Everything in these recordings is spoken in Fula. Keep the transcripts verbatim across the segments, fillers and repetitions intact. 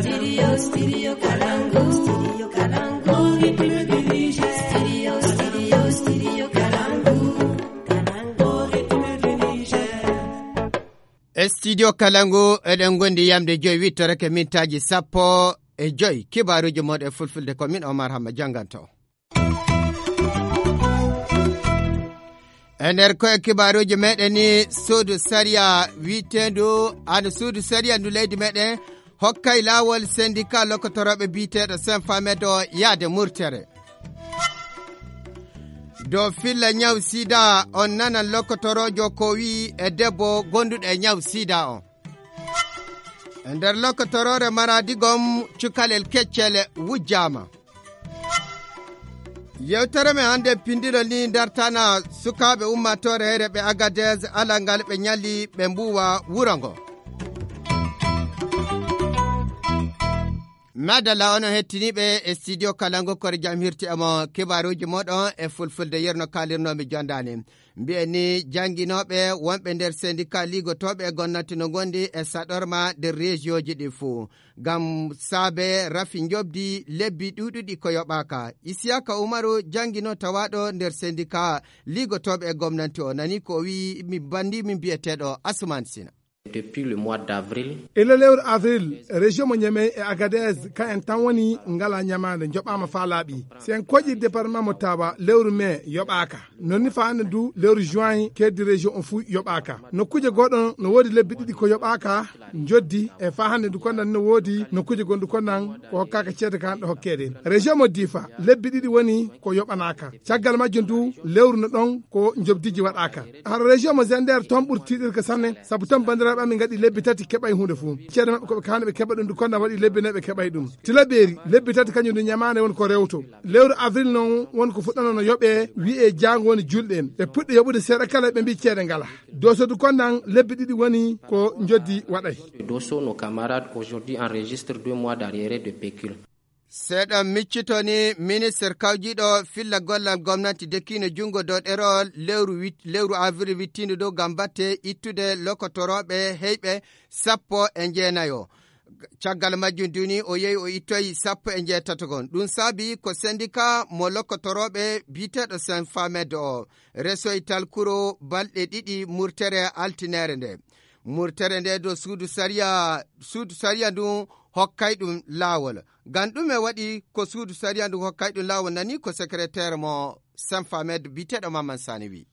Studio, studio Kalangu, studio Kalangu, Republic du Niger. Studio, studio, studio Kalangu, Kalangu, Republic du Niger. E studio Kalangu, eɗen gondi yamde joyi, wittorake mintaaji sappo e joyi. Kibaaruuji moɗon e fulfulde, ko min Omar Hamma jannganto. E nder koye kibaaruuji meɗen ni, suudu sariya wiiteendu, ano suudu sariya ndu leydi meɗen hokkay laawol sendika lokkotorooɓe biyeteeɗo Senfamed o yaade murtere. Dow filla ñaw sida, on nanan lokkotoroojo ko wi'i e debbo gonduɗo e ñaw sida on. E nder lokkotoroore Maradi gom, cukalel keccel wujjaama. Yewtere men hannde pindilol ni dartana sukaaɓe ummaatoore heyre ɓe Agadez, alal ngal ɓe ñalli ɓe mbuuwa wuro ngo. Madalla, onon hettiniiɓe e studio Kalangu, kore jam hirti e mo kibaaruuji moɗon e fulfulde, yerno kaalirnoomi jondaani. Mbiyen ni jannginooɓe wonɓe nder sendika liigotooɓe e gomnati no ngondi e saɗorma nder rejiyooji ɗi fuu. Ngam saabe rafi njoɓdi lebbi ɗuuɗuɗi ko yoɓaaka. Isiyaka Umaru janngino tawaaɗo nder sendika liigotooɓe e gomnati o nani ko o wi'i mi banndi min biyeteeɗo Asuman Sina. Depuis le mois d'avril. Ila lewru avril, région mo Niamey e Agadez, ka en tan woni ngala ñamaande, njoɓaama faa laaɓi. Si en koƴi département mo Tawa, lewru mai yoɓaaka. Non ni faa hannde du, lewru juin, keddi région on fuu yoɓaaka. Nokkuuje goɗɗo no woodi lebbi ɗiɗi ko yoɓaaka njoddi, e faa hannde du konnan no woodi nokkuuje gonɗu konnan ko hokkaaka ceede ka hannde hokkeede. Région mo Difa, lebbi ɗiɗi woni ko yoɓanaaka. Caggal majjum du, lewru no ɗon ko njobdiji waɗaaka. Har région mo Zender, toon ɓuri tiiɗirde sanne, sabu toon banndiraaɓe amin ngaɗi lebbi tati keɓay huunde fuu. Ceede maɓɓe ko ɓe kaani ɓe keɓa ɗum du konnan waɗi lebbi nayi ɓe keɓay ɗum. Tilaberi, lebbi tati kañum du ñamaande woni ko rewto. Lewru avril noon woni ko fuɗɗano no yoɓee, wi'ee jaango woni julɗe. Ɓe puɗɗi yoɓude seeɗa kala, ɓe mbii ceede ngala. Doso du konnan lebbi ɗiɗi woni ko njoddi waɗay. Doso, nos camarades aujourd'hui enregistrent deux mois d'arriéré de pécule. Seeɗa miccito ni ministre kawjiiɗo filla gollal gomnati dekkiino junngo dow ɗerol lewru wit-, lewru avril wittiindu dow ngam batte ittude lokotorooɓe heyɓe sappo e jeenayo. Caggal majjum duni o yehi o ittoyi sappo e jeetato gon. Ɗum saabi ko sendika mo lokotorooɓe biyeteeɗo Senfamed o resoy talkuro balɗe ɗiɗi murtere altineere nde. Murtere nde do suudu sariya, suudu sariya ndun hokkay ɗum laawol. Ngam ɗume waɗi ko suudu sariya ndun hokkay ɗum laawol, nani ko secrétaire mo Senfamed biyeteeɗo Mamman Sani wi.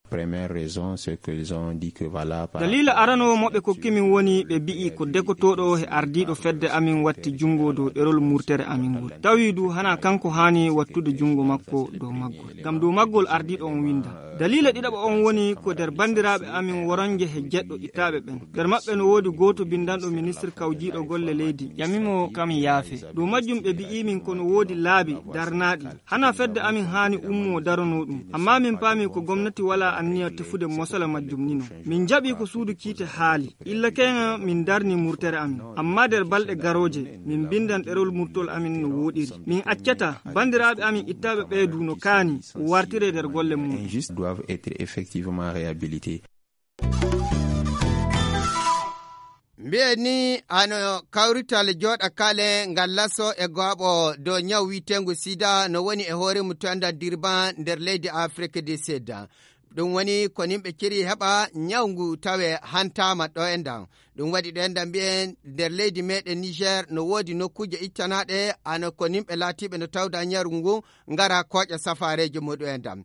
Première raison, c'est qu'ils ont dit que voilà, par Dalila rapport arano mo ɓe kokki min woni ɓe bi'i ko dekotooɗo he ardiiɗo fedde amin watti junngo dow ɗerol murtere amin ngol. Tawi du hana kanko haani wattude junngo makko dow maggol. Ngam dow maggol ardiiɗo on winda. Dalila ɗiɗaɓo on woni ko nder banndiraaɓe amin woronje he jeɗɗo ittaaɓe ɓen. Nder maɓɓe no woodi gooto binndanɗo ministre kawjiiɗo golle leydi. Ƴamimo kam yaafe. Dow majjum ɓe bi'i min ko no woodi laabi darnaaɗi. Hana fedde amin haani ummoo daronoo ɗum. Amma min paami ko gomnati walaa anniya tefude mosala majjum nino. Min jaɓi ko suudu kiite haali. Illa keŋa min darni murtere amin. Amma nder balɗe garooje, min mbindan ɗerol murtol amin no wooɗiri. Min accata banndiraaɓe amin ittaaɓe ɓee du no kaani wartire nder golle mum. Injuste doivent être effectivement réhabilités. Mbiyen ni hano kawrital jooɗa kale ngal laso e gooɓo dow ñaw wiiteengu sida no woni e hoore mum to endan Durban nder leydi Afrik du Sud. Ɗum woni ko nimɓe ciri heɓa ñaw ngu tawe hantaama ɗo endan. Ɗum waɗi ɗo endan mbiyen nder leydi meɗen Niger no woodi nokkuuje ittanaaɗe hano ko nimɓe laatiiɓe no tawda ñaw ngu ngara kooƴa safaareeji muɗum endan.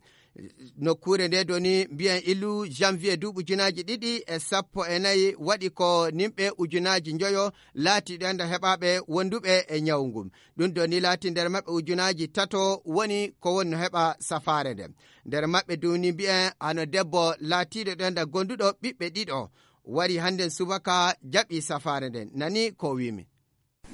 Nokkuure nde doni mbiyen ilu janvier duuɓi ujunaaji ɗiɗi e sappo e nayi waɗi ko nimɓe ujunaaji njoyo laati ɗo enda heɓaaɓe wonduɓe e ñawu ngun. Ɗum doni laati nder maɓɓe ujunaaji tato woni ko woni no heɓa safaare nden. Nder maɓɓe duni mbiyen hano debbo laatiiɗo ɗo enda gonduɗo ɓiɓɓe ɗiɗo wari hannden subaka jaɓi safaare nden. Nani ko wimi.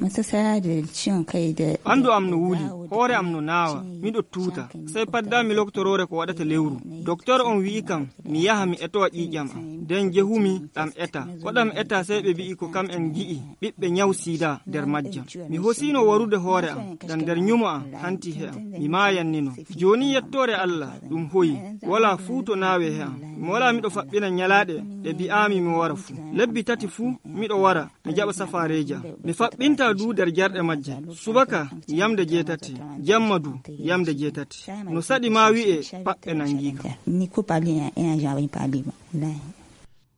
Ɓanndu am no wuli, hoore am no naawa, miɗo tuuta. Sey paddami lokotoroore ko waɗata lewru. Doktor on wi'i kam mi yaha mi etowa ƴiiƴam am. Nden jehumi ɗam eta. Ko ɗam eta sey ɓe bi'i ko kam en ngi'i ɓiɓɓe ñaw sida nder majjam. Mi hosino warude hoore am, ngam nder ñumo am hanti he am. Mi maayannino. Jooni yettoore Allah, ɗum hoyi. Walaa fuu to naawe he am. Mi walaa miɗo faɓɓina ñalaaɗe ɗe bi'aami mi wara fuu. Lebbi tati fuu miɗo wara, mi jaɓa safaareeji am. Mi faɓɓinta Du nder jarɗe majje. Subaka yamde jeetati, jamma du yamde jeetati. No saɗi ma wi'e paɓɓe nangiika.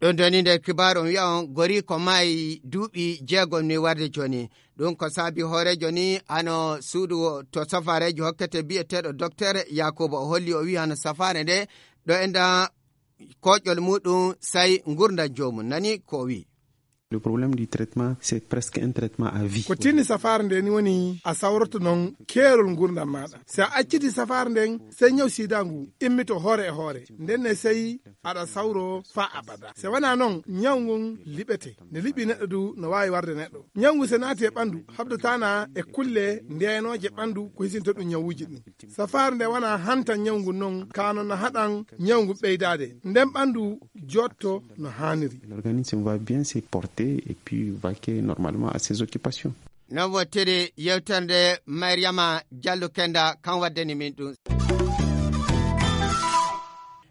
Ɗum doni nder kibaaru on wi'a on goriiko maayi duuɓi jeegom ni warde jooni. Ɗum ko saabi hooreejo ni hano suudu to safaareeji hokkete bi'eteeɗo Docteur Yakuba. O holli, o wi'i hano safaare nde ɗo enda koƴol muɗum sai ngurndan joomum. Nani ko o wi'i. Le problème du traitement, c'est presque un traitement à vie. Ko tinni safaare nde ni woni a sawroto non keerol ngurndan maɗa. Si a acciti safaare nden, sai ñaw sida ngu immito hoore e hoore. Nden ne sai aɗa sawro faa abada. Se wona non, ñaw ngun liɓete. Nde liɓi neɗɗo du, no waawi warde neɗɗo. Ñaw ngun se naati e ɓandu, habdatana e kulle ndeenoje ɓandu ko hisinta ɗum ñawuji ɗin. Safaare nde wona hantan ñaw ngun non, ka non no haɗan ñaw ngun ɓeydaade. Nden ɓandu jotto no haaniri. L'organisme va bien se porter et puis vaquer normalement à ses occupations. Non wottiri yewtere nde Mariama Jallo Kenda kan waddani min ɗum.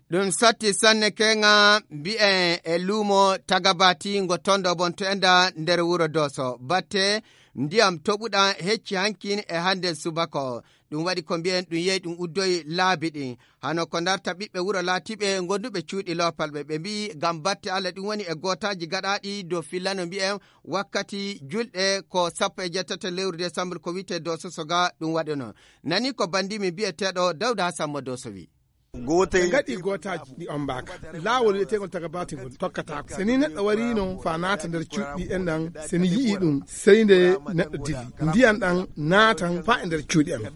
Ɗum satti sanne keŋa mbi'en e luumo Tagabati ngo tondo bonto enda nder wuro Doso. Batte ndiyam toɓuɗam hecci hankin e hande subaka o. Ɗum waɗi ko mbi'en ɗum yehi ɗum uddoyi laabi ɗin. Hano ko darta ɓiɓɓe wuro laatiiɓe gonduɓe cuuɗi loopalɓe. Ɓe mbi'i ngam batte Allah ɗum woni e gootaaji gaɗaaɗi dow fillano mbi'en wakkati julɗe ko sappo e jeetati lewru desambur ko wi'etee Doso Soga ɗum waɗuno. Nani ko bandimi bi'eteeɗo Dawda Hassan mo Doso wi. Ɓe ngaɗi gootaaji ɗi ombaaka. Laawol wi'eteengol Tagabati ngol tokkataako. Se ni neɗɗo wariino faa naata nder cuuɗi en ɗan, se ni yi'ii ɗum, sey nde neɗɗo dilli. Ndiyan ɗan naatan faa e nder cuuɗi amen.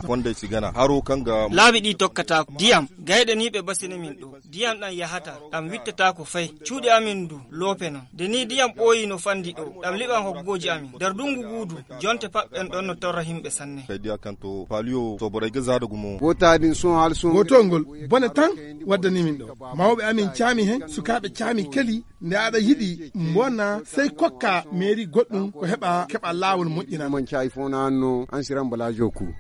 Wonde sigana haro kanga. Laabi ɗi tokkataako. Diyam, gayɗe ni ɓe basini min ɗo. Diyam ɗan yahata, ɗam wittataako fay. Cuuɗi amin du, loope non. Nde ni diyam ɓooyi no fandi ɗo, ɗam liɓan hoggooji amin. Nder dungu guudu, jonte paɓɓen ɗon no torra himɓe sanne. Kay diya kanto, paliyo, soboray ga zaada gumo. Gootaaɗin sun hal sun. Gootol ngol, bone tan waddani min ɗo. Mawɓe amin caami hen, sukaaɓe caami keli, nde aɗa yiɗi mbonna, sey kokka meeri goɗɗum ko heɓa, keɓa laawol moƴƴina. Man caayi fo na anno, an siran bala joku.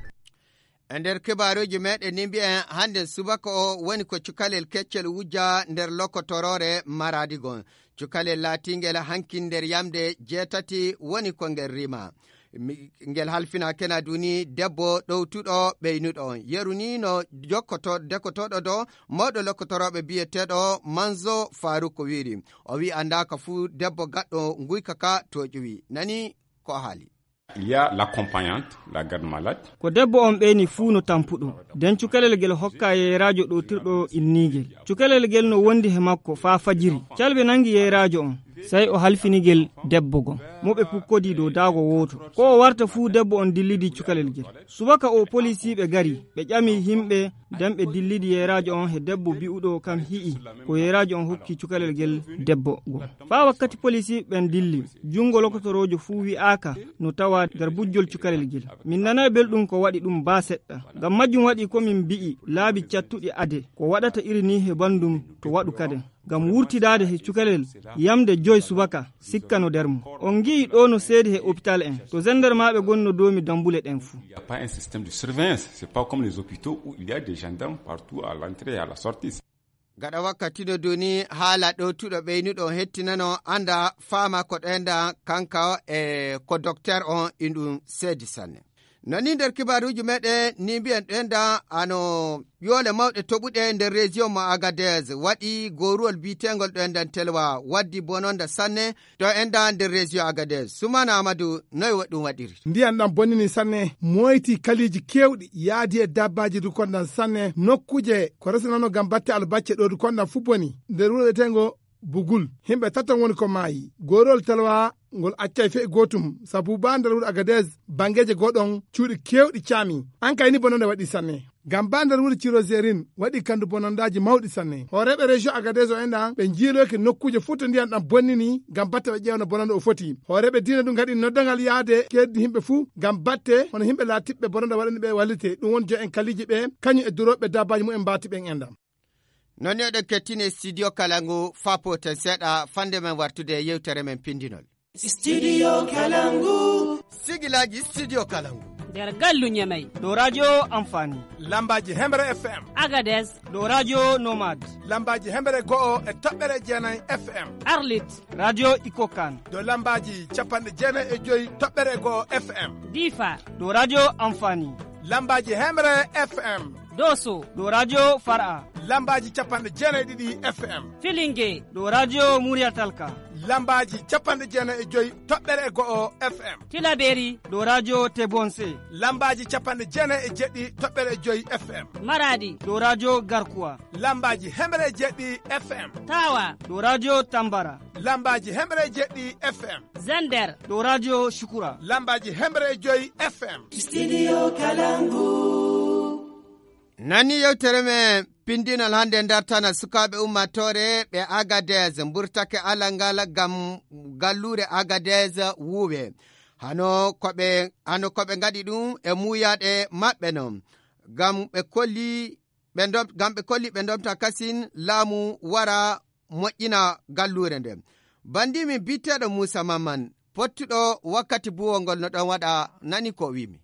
E nder kibaaruuji meɗen ni mbi'en hande subaka o woni ko cukalel keccel wujja nder lokotoroore Maradi gon. Cukalel laatingel hankin nder yamde jeetati woni ko ngel rima. Mi-, ngel halfinaakena duni debbo ɗowtuɗo ɓeynuɗo on. Yeru ni no jokkoto-, dekotooɗo do mawɗo lokkotorooɓe bi'eteeɗo Manzo Faruku wiiri. O wi'i andaaka fuu debbo gaɗɗo nguyka ka to ƴuwi. Nani ko o haali. Il y a l'accompagnante, la garde malade. Ko debbo on ɓeyni fuu no tampuɗo. Den cukalel gel hokka yeeraajo ɗowtirɗo inniigel. Cukalel gel no wondi he makko faa fajiri. Calɓe nangi yeeraajo on. Sey o halfinigel debbo gon. Mo ɓe pukkodii dow daago wooto. Ko o warta fuu debbo on dillidi cukalel gel. Subaka o polisiiɓe gari. Ɓe ƴami himɓe, den ɓe dillidi yeeraajo on he debbo bi'uɗo kam hi'i. Ko yeeraajo on hokki cukalel gel debbo gon. Faa wakkati polisiiɓe ɓen dilli. Junngo lokotoroojo fuu wi'aaka no tawaa nder bujjol cukalel gel. Min nanay belɗum ko waɗi ɗum baa seɗɗa. Ngam majjum waɗi ko min mbi'i laabi cattuɗi ade ko waɗata iri nii he banndum to waɗu kaden. Ngam wurtidaade he cukalel yamde joy subaka sikka no nder mum. On ngi'i ɗoo no seedi he opitaal en. To zenndarmaaɓe gonno doomi dammbule ɗen fuu. Il n'y a pas un système de surveillance. C'est pas comme les hôpitaux où il y a des gendarmes partout à l'entrée et à la sortie. Gaɗa wakkati no duni haala ɗowtuɗo ɓeynuɗo on hettinano annda faama ko ɗoyanda kanka e ko dokter on inɗum seedi sanne. Noni nder kibaaruuji meɗen ni mbi'en ɗoyanda ano yoole mawɗe toɓuɗe nder région mo Agadez waɗi gooruwol bi'eteengol ɗoyandan telwa waddi bononda sanne to enda nder région Agadez. Sumana Amadou noy wa-, ɗum waɗiri? Ndiyan ɗan bonnini sanne, moyti kaliiji keewɗi, yaadi e dabbaaji du kondan sanne, nokkuje ko resinano ngam batte albacce ɗo du kondan fu boni. Nder wuro wi'eteengo Bugul, himɓe taton woni ko maayi. Goorol talwa ngol accay fe'i gootum, sabu baa nder wuro Agadez, bangeeje goo ɗon cuuɗi keewɗi caami. An kay ni bononde waɗi sanne. Ngam baa nder wuro Cirozerin waɗi kandu bonondaaji mawɗi sanne. Hooreeɓe région Agadez o enɗan ɓe njiiloyke nokkuuje fuu to ndiyan ɗan bonnini ngam batte ɓe ƴeewa no bononde o foti. Hooreeɓe diina du ngaɗi noddangal yaade keeddi himɓe fuu ngam batte hono himɓe laatiɓɓe bononde waɗani ɓe wallite. Ɗum woni jo'en kaliiji ɓe kañum e durooɓe dabbaaji mumen mbaati ɓen enɗan. Non ni oɗon kettini e studio Kalangu faa pooten seeɗa fande men wartude e yewtere men pindinol. Studio Kalangu. Sigilaaji Studio Kalangu. Nder gallu Ñamey. Ɗo radio Amfani. Lambaaji Hemre F M. Agadez. Ɗo radio Nomad. Lambaaji Hemre go'o e toɓɓere jeenay F M. Arlit. Radio Ikokan. Ɗo lambaaji capanɗe jeenay e joy toɓɓere go'o F M. Difa. Ɗo radio Amfani. Lambaaji Hemre F M. Doso. Ɗo radio Far'a. Lambaaji capanɗe jeenay ɗiɗi F M. Filinge. Ɗo radio Muriyatalka. Lambaaji capanɗe jeenay e joy toɓɓere go'o F M. Tilaberi. Ɗo radio Tebonse. Lambaaji capanɗe jeenay e jeɗɗi toɓɓere joy F M. Maradi. Ɗo radio Garkuwa. Lambaaji hemre e jeɗɗi F M. Tawa. Ɗo radio Tambara. Lambaaji hemre e jeɗɗi F M. Zender. Ɗo radio Shukura. Lambaaji hemre e joy F M. Studio Kalangu. Nani yewtere men pindinal hannde dartanal sukaaɓe ummaatoore ɓe Agadez mburtake alal ngal ngam galluure Agadez wuuwe. Hano ko ɓe, hano ko ɓe ngaɗi ɗum e muuyaaɗe maɓɓe non. Ngam ɓe kolli ɓe ndom-, ngam ɓe kolli ɓe ndomta kasin laamu wara moƴƴina galluure nde. Banndi min biyeteeɗo Muusa Mamman, pottuɗo wakkati buwol ngol no ɗon waɗa, nani ko wiimi.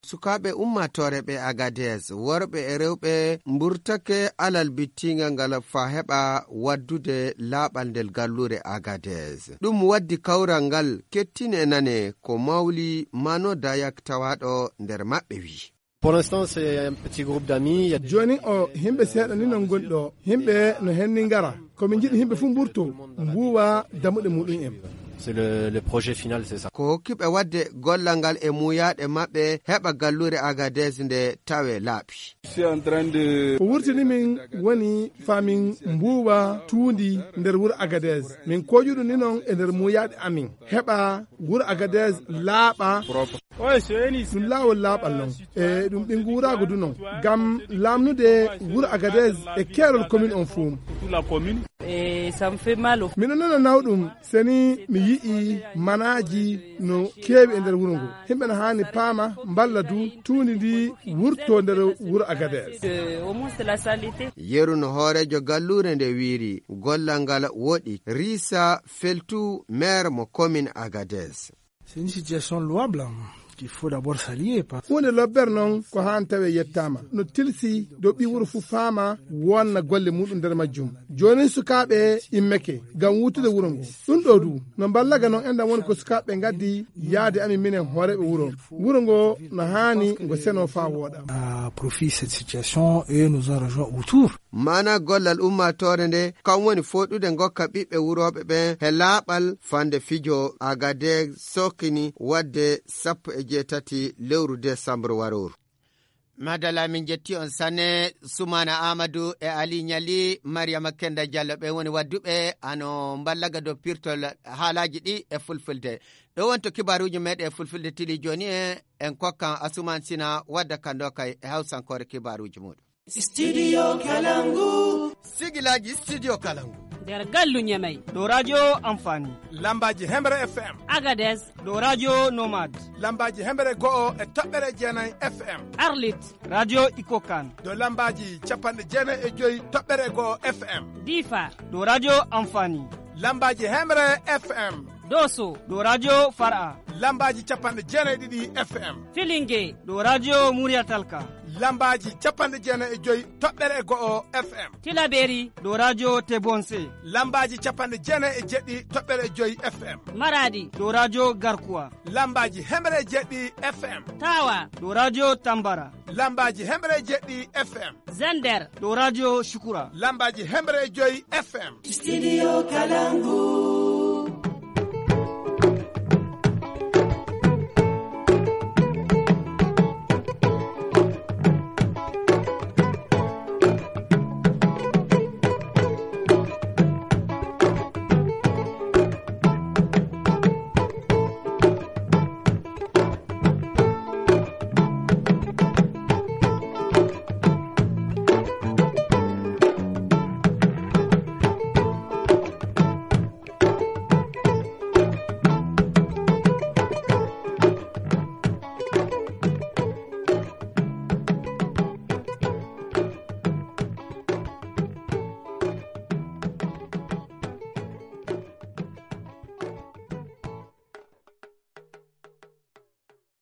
Sukaaɓe ummaatoore ɓe Agadez, worɓe e rewɓe mburtake alal bittiingal ngal faa heɓa waddude laaɓal nder galluure Agadez. Ɗum waddi kawral ngal kettine nane ko Mawli Mano Dayak tawaaɗo nder maɓɓe wiyi. Pour l'instant, c'est un petit groupe d'amis. Il y a des Jooni o, himɓe seeɗa ni non ngoni ɗo. Himɓe no henni ngara. Ko min njiɗi himɓe fof mburto, mbuuwa dammuɗe muɗum en. C'est le, le projet final, c'est ça. Ko hokkiɓe waɗde gollal ngal e muuyaaɗe maɓɓe heɓa galluure Agadez nde tawe laaɓi. Je suis en train de Ko wurtini min woni faa min mbuuwa tuundi nder wuro Agadez. Min koƴuɗo ni non e nder muuyaaɗe amin. Heɓa wuro Agadez laaɓa. Propre. Ɗum laawol laaɓal non. E ɗum ɓinngu wuraago du non. Ngam laamnude wuro Agadez e keerol commune on fuu. Toute la commune. Et ça me fait mal au Miɗo nana nawɗum, seni mi yi'i manaaji no keewi e nder wuro ngo. Himɓe no haani paama, mballa du, tuundi ndi wurto nder wuro Agadez. Euh, au moins, c'est la saleté. Yeru no hooreejo galluure nde wiiri, gollal ngal woɗi. Risa Feltu, maire mo commune Agadez. C'est une situation louable, hein, qu'il faut d'abord saluer, parce Huunde lobbere non ko haan tawe yettaama. No tilsi dow ɓii wuro fuu faama wonna golle muɗum nder majjum. Joonin sukaaɓe immeke ngam wuutude wuro ngo. Ɗum ɗo du, no mballaga non enɗan woni ko sukaaɓe ngaddi yaade amin minen hooreeɓe wuro. Wuro ngo no haani ngo seno faa wooɗa. À profit de cette situation, eux nous ont rejoint autour. Maana gollal ummaatoore nde, kam woni fooɗude ngokka ɓiɓɓe wurooɓe ɓen he laaɓal fande fijo Agadez sokkini waɗde sappo e jeetati lewru desambru warooru. Madala, min jetti on sanne, Sumana Amadou e Ali Ñali, Mariama Kenda Diallo, ɓe woni wadduɓe ano mballaga dow pirtol haalaaji ɗi e fulfulde. Ɗo wonto kibaaruuji meɗen e fulfulde tili jooni e en kokkan Asuman Sina wadda kando kay e hawsankoore kibaaruuji muɗum. Studio Kalangu. Sigilaaji Studio Kalangu. Nder gallu Ñamey. Ɗo radio Amfani. Lambaaji Hemre F M. Agadez. Ɗo radio Nomad. Lambaaji Hemre go'o e toɓɓere jeenay F M. Arlit. Radio Ikokan. Ɗo lambaaji capanɗe jeenay e joy toɓɓere go'o F M. Difa. Ɗo radio Amfani. Lambaaji Hemre F M. Doso. Ɗo radio Far'a. Lambaaji capanɗe jeenay e ɗiɗi F M. Filinge. Ɗo radio Muriyatalka. Lambaaji capanɗe jeenay e joy toɓɓere e go'o F M. Tilaberi. Ɗo radio Tebonse. Lambaaji capanɗe jeenay e jeɗɗi toɓɓere e joy F M. Maradi. Ɗo radio Garkuwa. Lambaaji hemre e jeɗɗi F M. Tawa. Ɗo radio Tambara. Lambaaji hemre e jeɗɗi F M. Zender. Ɗo radio Shukura. Lambaaji hemre e joy F M. Studio Kalangu.